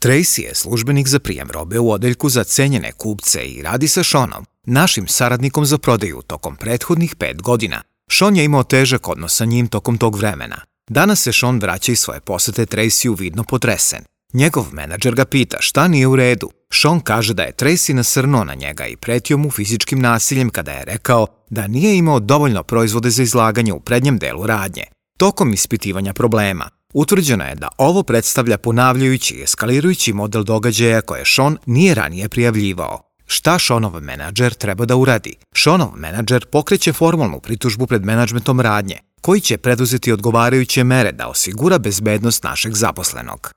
Tracy je službenik za prijem robe u odeljku za cenjene kupce i radi sa Seanom, našim saradnikom za prodaju tokom prethodnih 5 godina. Sean je imao težak odnos sa njim tokom tog vremena. Danas se Sean vraća iz svoje posete Tracy-u vidno potresen. Njegov menadžer ga pita šta nije u redu. Sean kaže da je Tracy nasrnuo na njega i pretio mu fizičkim nasiljem kada je rekao da nije imao dovoljno proizvode za izlaganje u prednjem delu radnje. Tokom ispitivanja problema, utvrđeno je da ovo predstavlja ponavljajući i eskalirajući model događaja koje Sean nije ranije prijavljivao. Šta Seanov menadžer treba da uradi? Seanov menadžer pokreće formalnu pritužbu pred menadžmentom radnje, koji će preduzeti odgovarajuće mere da osigura bezbednost našeg zaposlenog.